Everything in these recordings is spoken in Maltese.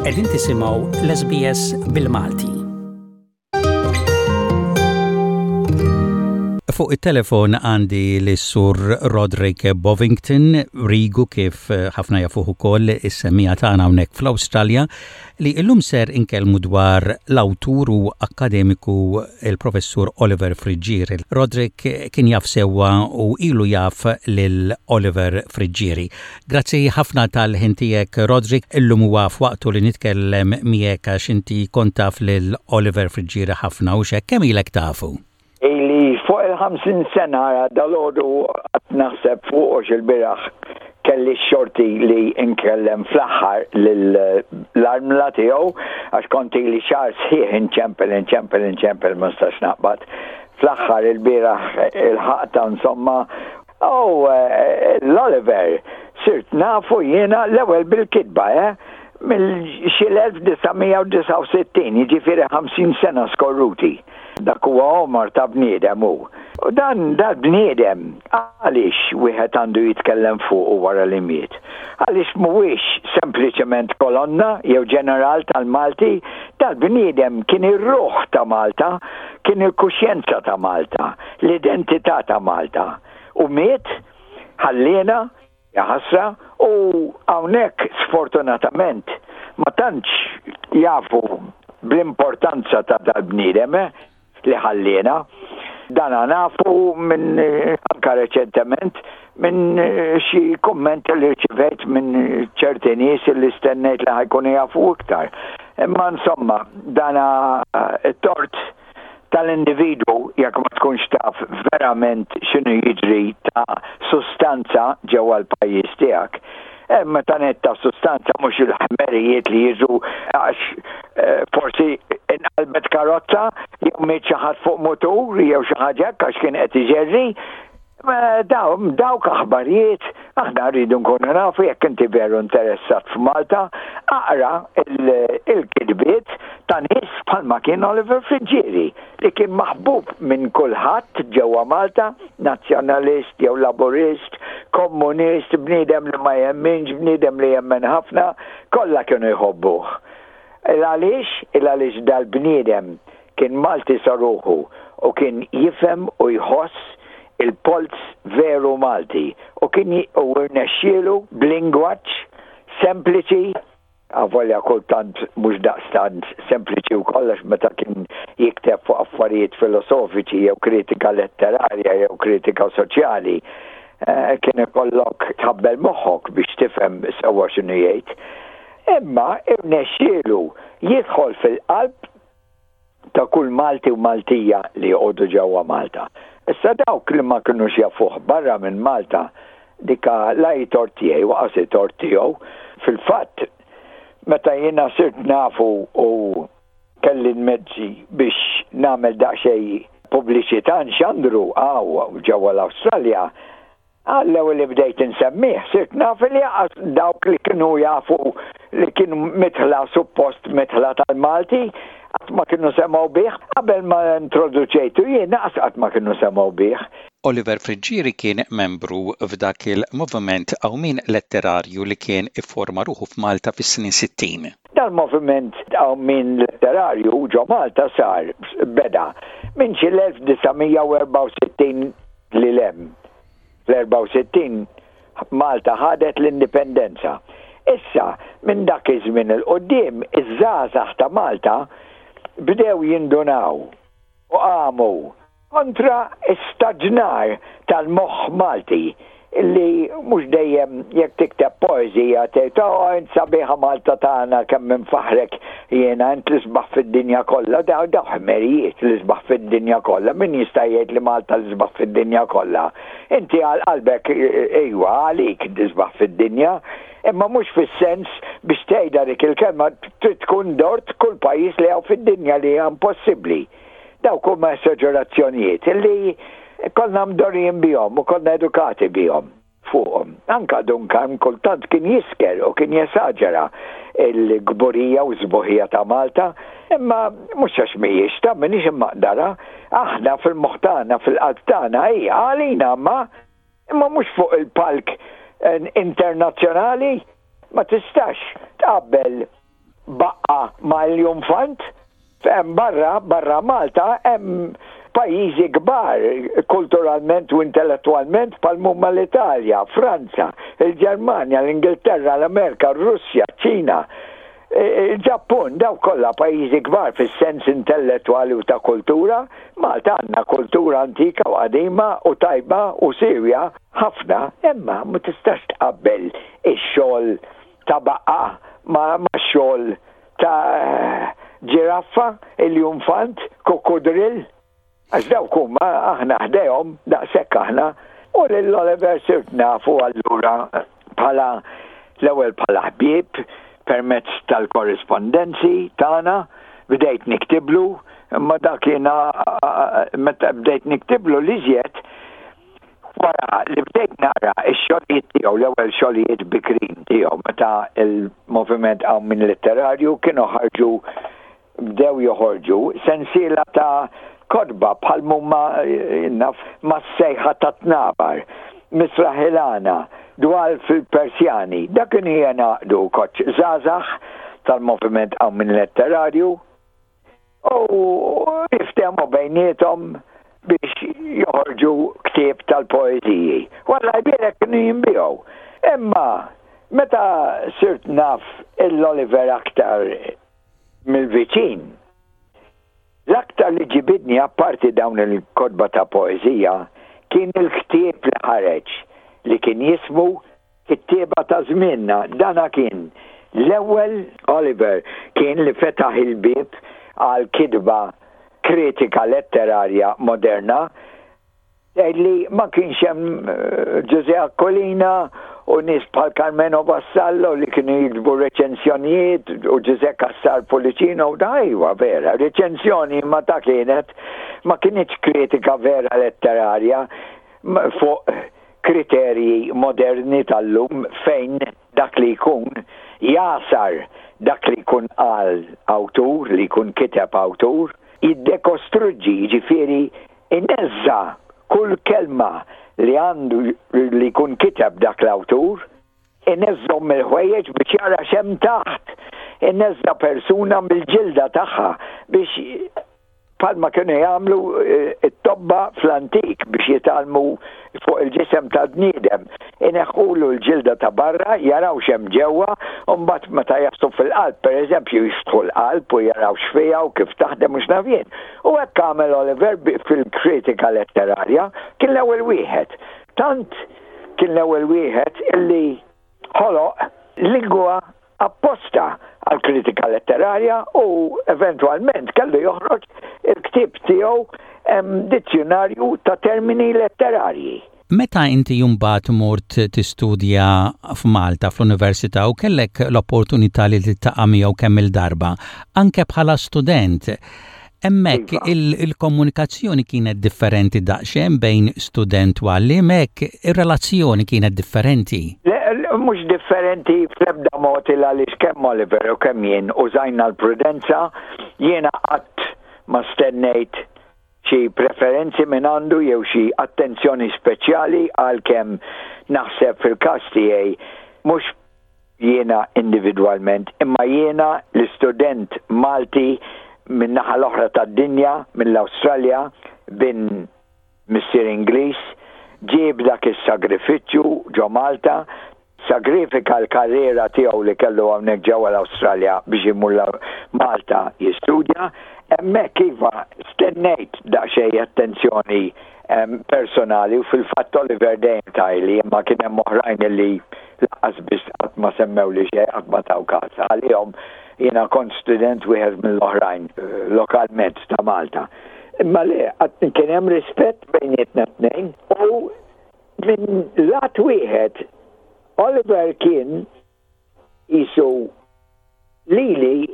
Qegħdin tisimgħu l-SBS bil-Malti. Fuq it-telefon għandi lis-Sur Roderick Bovington, Rigu kif ħafna jafuh ukoll is-semmiegħa tagħna hawnhekk fl-Awstralja, li illum ser inkellmu dwar l-awtur u akkademiku il-Professur Oliver Friggieri. Roderick kien jaf sewwa u ilu jaf lil Oliver Friggieri. Grazzi ħafna tal-ħin tiegħek Roderick, illum huwa f'waqtu li nitkellem miegħek għax inti kont taf lil Oliver Friggieri ħafna hux hekk? Kemm ilek tafu? Ili fuq il-50 sena dalgħodu qatt naħseb fuq għax ilbieraħ kelli x-xorti li nkellem fl-aħħar lill-armla tiegħu għax kont ili xahar sħiħ inċempel inċempel inċempel ma nistax naqbad. Fl-aħħar ilbieraħ ilħaqtha insomma U l-Oliver sirt nafu jiena l-ewwel bil-kitba, eh? Mill xi l-1969, jiġifieri 50 sena skorruti. Dak huwa għomor ta' bniedem hu. U dan dal-bniedem għaliex wieħed għandu jitkellem fuqu wara li miet? Għaliex mhuwiex sempliċement kolonna jew ġeneral tal-Malti, dal-bniedem kien ir-ruħ ta' Malta, kien il-kuxjenza ta' Malta. l-identità ta' Malta. U miet, ħalliena, jaħasra, u hawnhekk sfortunatament ma tantx jafu bl-importanza ta' dal-bniedem eh, li ħalliena. Dana nafu minn anka reċentement minn xi kummenti li rċivejt minn ċerti nies li stennejt li ħajkunu jafu iktar. Imma insomma, dana t-tort tal-individwu jekk ma tkunx taf verament x'inhu jiġri ta' sustanza ġewwa l-pajjiż tiegħek. Meta ngħid ta' sustanza mhux il-ħmerijiet li jiġu għax eh, forsi inqalbet karozza jew miet xi ħadd fuq mutur jew xi ħaġa hekk għax kien qed iġerri Dawk aħbarijiet, aħna rridu nkunu nafu jekk inti veru interessat f'Malta, aqra il-kitbiet ta' nies bħalma kien Oliver Friggieri li kien maħbub minn kulħadd ġewwa Malta, nazzjonalist jew laburist, komunist, bniedem li ma jemminx, bniedem li jemmen ħafna, kollha kienu jħobbuh. Il għaliex? Il għaliex dal-bniedem Kien Malti sa ruħu u kien jifhem u jħoss il-polz veru Malti u kien u rnexxielu b'lingwaġġ sempliċi, avolja kultant mhux daqstant sempliċi wkoll għax meta kien jikteb fuq affarijiet filosofiċi jew kritika letterarja jew kritika soċjali, kien ikollok tħabbel moħħok biex tifhem sewwa x'inhu jgħid. Imma rnexxielu jidħol fil-qalb ta' kull Malti u Maltija li joqogħdu ġewwa Malta. Issa dawk li ma kinux jafuh barra minn Malta, dika la hi tort tiegħi u qas hi tort tiegħu. Fil-fatt, meta jiena sirt nafu u kelli l-mezzi biex nagħmel daqsxejn pubbliċità nxandru hawn ġewwa l-Awstralja, Għall-ewwel li bdejt insemmih, sirt naf li anqas dawk li kienu jafu li kien midħla suppost midħla tal-Malti, qatt ma kienu semgħu bih. Qabel ma introduċejtu jien, anqas qatt ma kienu semgħu bih. Oliver Friggieri kien membru f'dak il-moviment qawmien letterarju li kien ifforma ruħu f'Malta fis-snin 60. Dal-moviment qawmien letterarju ġo Malta sar, beda, minn xi l-1964 lil hemm. Fl-64 Malta ħadet l-indipendenza. Issa, minn dak iż-żmien 'il quddiem, iż-żgħażagħ ta' Malta bdew jindunaw u qamu kontra staġnar tal-moħħ Malti li mhux dejjem jekk tikteb poeżija tgħid oh int sabiħa Malta tagħna kemm infaħħrek jiena int l-isbaħ fid-dinja kollha daw daw ħmerijiet l-isbaħ fid-dinja kollha min jista' jgħid li Malta l-isbaħ fid-dinja kollha inti għal qalbek ejwa għalik l-isbaħ fid-dinja imma mhux fis-sens biex tgħidha dik il-kelma trid tkun dort kull pajjiż li hawn fid-dinja li hija impossibbli. Dawk huma esaġerazzjonijiet li konna mdorrijin bihom u konna edukati bihom fuqhom. Anka Dun Karm kultant kien jisker u kien jesaġera l-kburija u s-sbuħija ta' Malta, imma mhux għax mhijiex ta' m'iniex immaqdarha, aħna fil-moħħ tagħna, fil-qalb tagħna hi għalina imma imma mhux fuq il-palk internazzjonali ma tistax tqabbel. Baqqa ma' iljunfant. Hemm barra, barra Malta, hemm pajjiżi kbar kulturalment u intellettwalment bħal m'huma l-Italja, Franza, il-Ġermanja, l-Ingilterra, l-Amerika, r-Russja, ċ-Ċina, il-Ġappun, dawk kollha pajjiżi kbar fis-sens intellettwali u ta' kultura. Malta għandna kultura antika u qadima u tajba u siewja ħafna, imma ma tistax tqabbel ix-xogħol ta' baqqa max-xogħol ta' ġiraffa, iljunfant, kukkudrill, għax dawk huma aħna ħdejhom daqshekk aħna. U lil Oliver sirt nafu allura bħala l-ewwel bħala ħbieb permezz tal-korrispondenzi tagħna, bdejt niktiblu, imma dak jiena meta bdejt niktiblu l-iżjed Wara li bdejt naqra x-xogħlijiet tiegħu, l-ewwel xogħlijiet bikrin tiegħu meta l-Moviment Qawmien Letterarju kienu ħarġu bdew joħorġu sensiela ta' kotba bħal m'huma naf Mas-Sejħa tat-Tnabar, Misraħ il-Għana, Dwal fil-Persjani. Dak kienu jingħaqdu koċċ żgħażagħ tal-Moviment Qawmien Letterarju U jiftehmu bejniethom biex joħorġu ktieb tal-poeżiji. U Alla jbierek kienu jinbiegħu. Imma meta sirt naf il-Oliver aktar mill-viċin, l-aktar li ġibidni apparti dawn il-kotba ta' poeżija kien il-ktieb li ħareġ li kien jismu Kittieba ta' żmienna, dana kien l-ewwel Oliver kien li fetaħ il-bieb għal kitba kritika letterarja moderna. Tgħid li ma kienx hemm Ġużè Aquilina u nies bħal Karmenu Vassallo li kienu jiktbu reċensjonijiet u Ġużè Cassar Pullicino u da iwa vera, reċensjoni imma ta' kienet ma kinitx kritika vera letterarja fuq kriterji moderni tal-lum fejn dak li jkun jagħsar dak li jkun qal awtur, li jkun kiteb awtur, jiddekostruġġi, jiġifieri ineżża' kull kelma li għandu li jkun kiteb dak l-awtur, ineżżhom mill-ħwejjeġ biex jara x'hemm taħt, ineżża' persuna mill-ġilda tagħha biex bħalma kienu jagħmlu eh, t-tobba fl-antik biex jitgħallmu fuq il-ġisem tal-bniedem. Ineħħulu l-ġilda ta' barra, jaraw x'hemm ġewwa, u mbagħad meta jaslu fil-qalb, pereżempju, jiftħu l-qalb u jaraw x'fiha u kif taħdem u x'naf jien. U hekk għamel Oliver fil-kritika letterarja, kien l-ewwel wieħed. Tant kien l-ewwel wieħed illi ħoloq lingwa apposta għall-kritika letterarja u eventwalment kellu joħroġ il-ktieb tiegħu Dizzjunarju ta' Termini Letterarji. Meta inti mbagħad mort tistudja f'Malta fl-Università u kellek l-opportunità li tiltaqa' miegħu kemm-il darba, anke bħala student, Hemmhekk il-komunikazzjoni kienet differenti daqsxejn bejn student u għalliem hekk, ir-relazzjoni kienet differenti. Le, mhux differenti fl-ebda mod il għaliex kemm Oliver u kemm jien użajna l-prudenza, jiena qatt ma stennejt xi preferenzi minn għandu jew xi attenzjoni speċjali għalkemm naħseb fil-każ tiegħi mhux jiena individwalment, imma jiena l-istudent Malti min-naħa l-oħra tad-dinja, mill-Awstralja, bin missier Ingliż, ġie b'dak is-sagrifiċċju ġo Malta, sagrifika l-karriera tiegħu li kellu hawnhekk ġewwa l-Awstralja biex imur Malta jistudja. Hemmhekk iva stennejt daqsxejn attenzjoni personali u fil-fatt Oliver dejjem tgħidli imma kien hemm oħrajn li lanqas biss qatt ma semmewli xejn, qatt ma taw kas. Għalihom jiena kont student wieħed mill-oħrajn lokalment ta' Malta. Imma le, kien hemm rispett bejnietna t-tnejn u minn lat wieħed Oliver kien qisu lili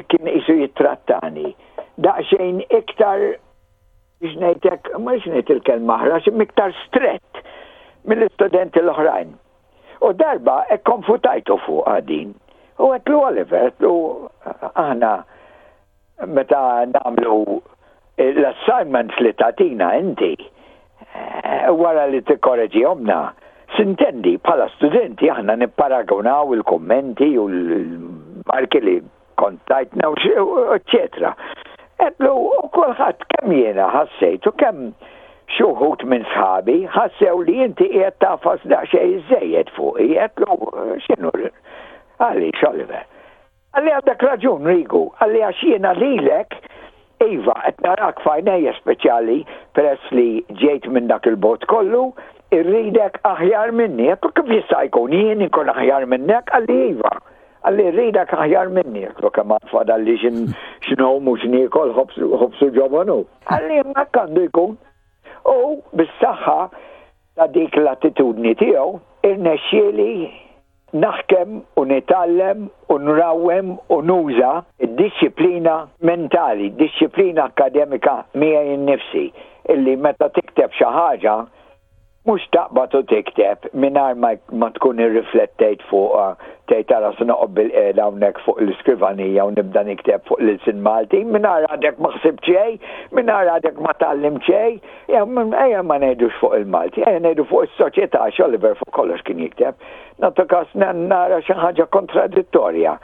kien qisu jittrattani daqsxejn iktar biex ngħid hekk, ma rridx ngħid il-kelma aħrax, imma iktar strett mill-istudenti l-oħrajn. U darba kkonfutajtu fuqha din. U għedtlu Oliver, għedtlu aħna meta nagħmlu l-assignments li tagħtina inti, eh, wara li tikkoreġihomna, sintendi bħala studenti aħna nipparagunaw il-kummenti u l il-marki li kont tajtna u eċċetera. Għedtlu u kulħadd kemm jiena ħassejt u kemm xi wħud minn sħabi ħassew li inti qiegħed tagħfas daqsxejn iżżejjed fuqi. Għedtlu x'inhu għaliex Oliver? Qalli għandek raġun Rigu, qalli għax jiena lilek iva qed narak f'għajnejja speċjali peress li ġejt minn dak il-bogħod kollu, irridek aħjar minni. Għedtlu kif jista' jkun jien inkun aħjar minnek? Qalli iva. Qalli rridek aħjar minni, għedtlu kemm għad fadalli x'ngħum u x'niekol ħobż u ġobon hu. Qalli imma hekk għandu jkun. U bis-saħħa ta' dik l-attitudni tiegħu irnexxieli naħkem u nitgħallem u nrawwem u nuża d-dixxiplina mentali, dixxiplina akkademika miegħi nnifsi, illi meta tikteb xi ħaġa Mhux taqbad u tikteb mingħajr ma ma tkun irriflettejt fuqha, tgħid ara se noqgħod bilqiegħda hawnhekk fuq l-iskrivanija u nibda nikteb fuq l-ilsien Malti, mingħajr għadek ma ħsibt xejn, mingħajr għadek ma tgħallimt xejn. Ejja ma ngħidux fuq il-Malti, ejja ngħidu fuq is-soċjetà għax Oliver fuq kollox kien jikteb. Nagħtu każ nara xi ħaġa kontradittorja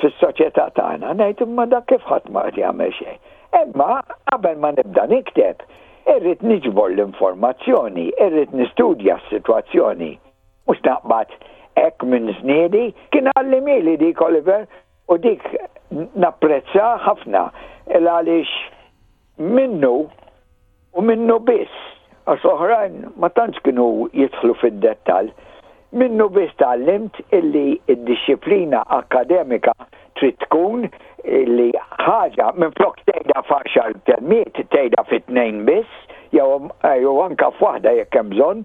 fis-soċjetà tagħna, ngħid imma dak kif ħadd ma qed jagħmel xejn. Imma qabel ma nibda nikteb, Irrid niġbor l-informazzjoni, irrid nistudja s-sitwazzjoni. Mhux naqbad hekk minn żniedi. Kien għallimhieli dik Oliver u dik napprezzha ħafna il għaliex minnu u minnu biss, għax l-oħrajn ma tantx kienu jidħlu fid-dettall, Minnu biss tgħallimt illi d-dixxiplina akkademika trid tkun li ħaġa minflok tgħidha f'għaxar kelmiet tgħidha fi tnejn biss jew anke f'waħda jekk hemm bżonn.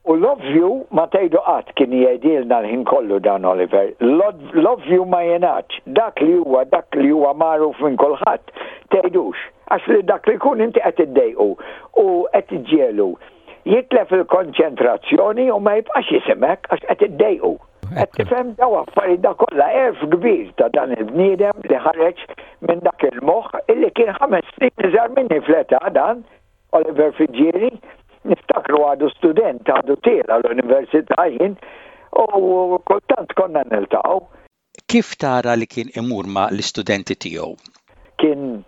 U l-ovvju ma tgħidu qatt kien jgħidilna l-ħin kollu dan Oliver. L-ovvju ma jingħadx. Dak li huwa dak li huwa magħruf minn kulħadd tgħidux. Għax lil dak li jkun inti qed iddejqu u qed iġġiegħlu jitlef il-konċentrazzjoni u ma jibqax jisimek għax qed iddejqu. Qed tifhem daw affarijiet da kollha għerf kbir ta' dan il-bniedem li ħareġ minn dak il-moħħ illi kien ħames snin iżgħar minni fl-età dan Oliver Fiġġieri, niftakru għadu student, għadu tiela l-università jien, u kultant konna niltaqgħu. Kif tara li kien imur ma' l-istudenti tiegħu? Kien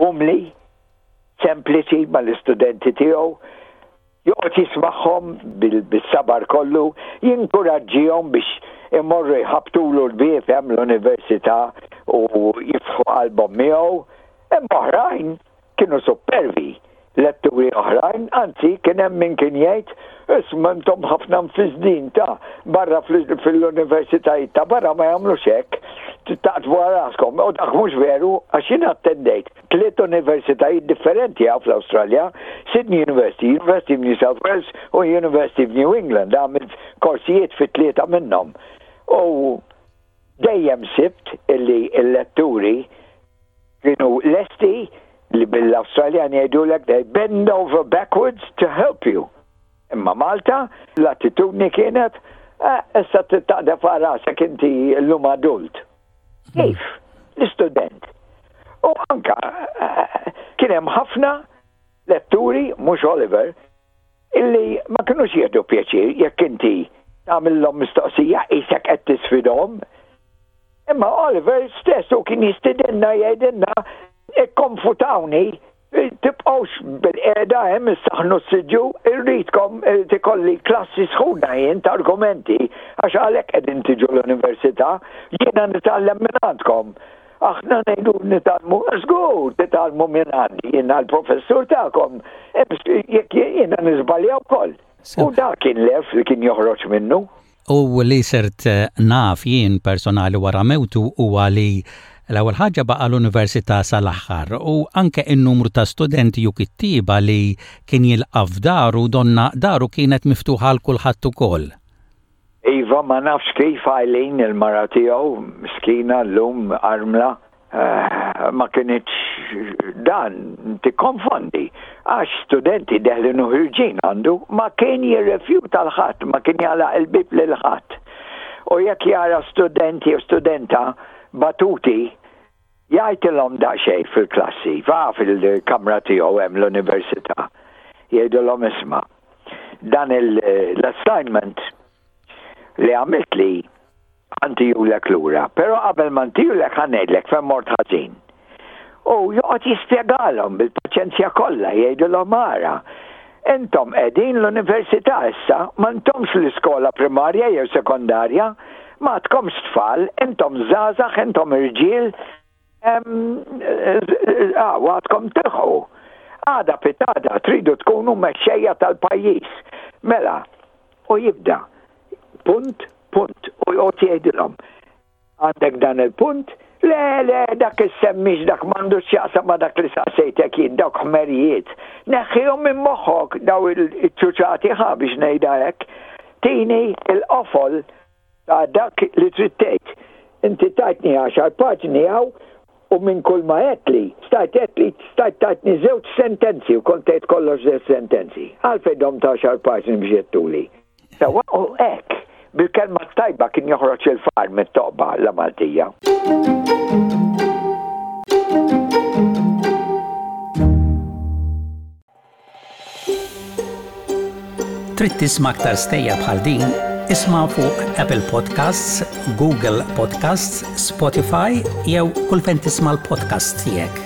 umli, sempliċi ma' l-istudenti tiegħu, joqgħod jismagħhom bis-sabar kollu, jinkuraġġihom biex imorru jħabbtulu l-bieb hemm l-università u jiftħu qalbhom miegħu. Imma oħrajn Kienu suppervi, letturi oħrajn, anzi kien hemm min kien jgħid, Isma' intom ħafna mfissdin ta' barra fil-universitajiet ta' barra ma jagħmlux hekk, taqtfu għal raskom. U dak mhux veru għax jien attendejt tliet universitajiet differenti hawn fl-Awstralja, Sydney University, University of New South Wales u University of New England, għamilt korsijiet fi tlieta minnhom. U Dejjem sibt illi l-letturi kienu lesti li bil-Awstraljan jgħidulek they bend over backwards to help you. Imma Malta l-attitudni kienet eh, issa taqdef għal rasek inti llum adult. Kif? L-istudent. U anka eh, kien hemm ħafna letturi, mhux Oliver, illi ma kinux jieħdu pjaċir jekk inti tagħmilhom mistoqsija qisek qed tisfidhom. Imma Oliver stess u kien jistidinna jgħidilna ikkonfutawni tibqgħux bil-qiegħda hemm issaħnu s-siġġu, irridkom ikolli klassi sħuna jien ta' argumenti għax għalhekk qegħdin tiġu l-università, jiena nitgħallem minn għandkom. Aħna ngħidu nitgħallmu, żgur titgħallmu minn għandi, jiena l-professur tagħkom, jekk jiena niżbalja wkoll. U dak kien l-għerf li kien joħroġ minnu. U li sirt naf jien personali wara mewtu huwa li l-ewwel ħaġa baqa' l-università sal-aħħar u anke n-numru ta' studenti u kittieba li kien jilqa' f'daru donna daru kienet miftuħa għal kulħadd ukoll. Iva, ma nafx kif Eileen, il-mara tiegħu, miskina llum armla, ma kinitx dan tikkonfondi għax studenti deħlin u ħirġin għandu, ma kien jirrifjuta 'l ħadd, ma kien jagħlaq il-bieb lil ħadd. U jekk jara student jew studenta batuti, jgħidilhom daqsxejn fil-klassi, va fil-kamra tiegħu hemm l-università, jgħidilhom isma' dan l-assignment li għamiltli. Ħa ntihulek lura, però qabel ma ntihulek ħa ngħidlek fejn mort ħażin. U joqgħod jispjegalhom bil-paċenzja kollha, jgħidilhom ara, intom qegħdin l-università issa, m'intomx l-iskola primarja jew sekondarja, m'għadkomx tfal, intom żgħażagħ, intom irġiel, għadkom tilħqu. Għada pitgħada tridu tkunu mexxejja tal-pajjiż. Mela, u jibda punt, punt, u joqgħod jgħidilhom. Għandek dan il-punt? Le, le, dak issemmix dak m'għandux x'jaqsam ma' dak li saqsejtek jien, dawk ħmerijiet. Neħħihom minn moħħok daw il-ċuċati ħa biex ngħidha hekk. Tini il-qofol ta' dak li trid tgħid. Inti tajtni għaxar paġni hawn u minn kull ma għedtli, stajt għedtli, stajt tajtni żewġ sentenzi u kont tgħid kollox żewġ sentenzi. Għalfejn domt għaxar paġni biex għedtuli. Sewwa u hekk, bil-kelma t-tajba kien joħroġ il-faqar mit-toqba la Maltija. Trid tisma' aktar stejjer bħal din? Isma' fuq Apple Podcasts, Google Podcasts, Spotify jew kull fejn tisma' l-podcasts tiegħek.